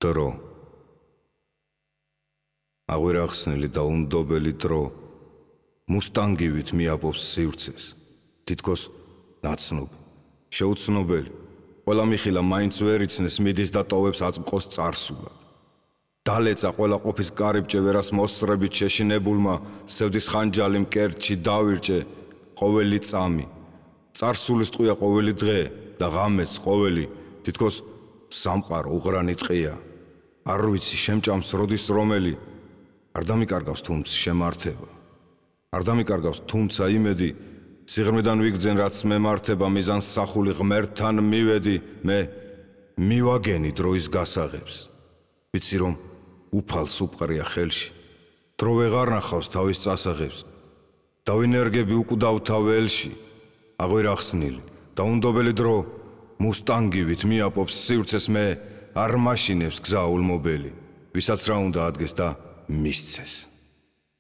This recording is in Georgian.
დრო აღვირახსნილი და უნდობელი დრო მუსტანგივით მიაპოვს სივრცეს თითქოს ნაცნობი შეუცნობელი ყველა მიხილა მაინც ვერ იცნეს მიდის და ტოვებს აწმყოს წარსულად დალეცა ყველა ყოფის კარიბჭე ვერას მოსწრებით შეშინებულმა სევდის ხანჯალი მკერდში დავირჭე ყოველი წამი წარსულის ტყვია ყოველი დღე და ღამეც ყოველი თითქოს სამყარო უღრანი ტყია არ ვიცი შემჭამს როდის რომელი არ დამიკარგავს თუმცა შემართება არ დამიკარგავს თუმცა იმედი სიღრმიდან ვიგძენ რაც მემართება მიზანს სახული ღმერთთან მივედი მე მივაგენი დროის გასაღებს ვიცი რომ უფალს უპყრია ხელში დრო ვეღარ ნახავს თავის წასაღებს დავინერგები უკვდავთა ველში აღვირახსნილი და უნდობელი დრო მუსტანგივით მიაპოვს სივრცეს მე არ მაშინებს გზა ულმობელი ვისაც რა უნდა ადგეს და მისცეს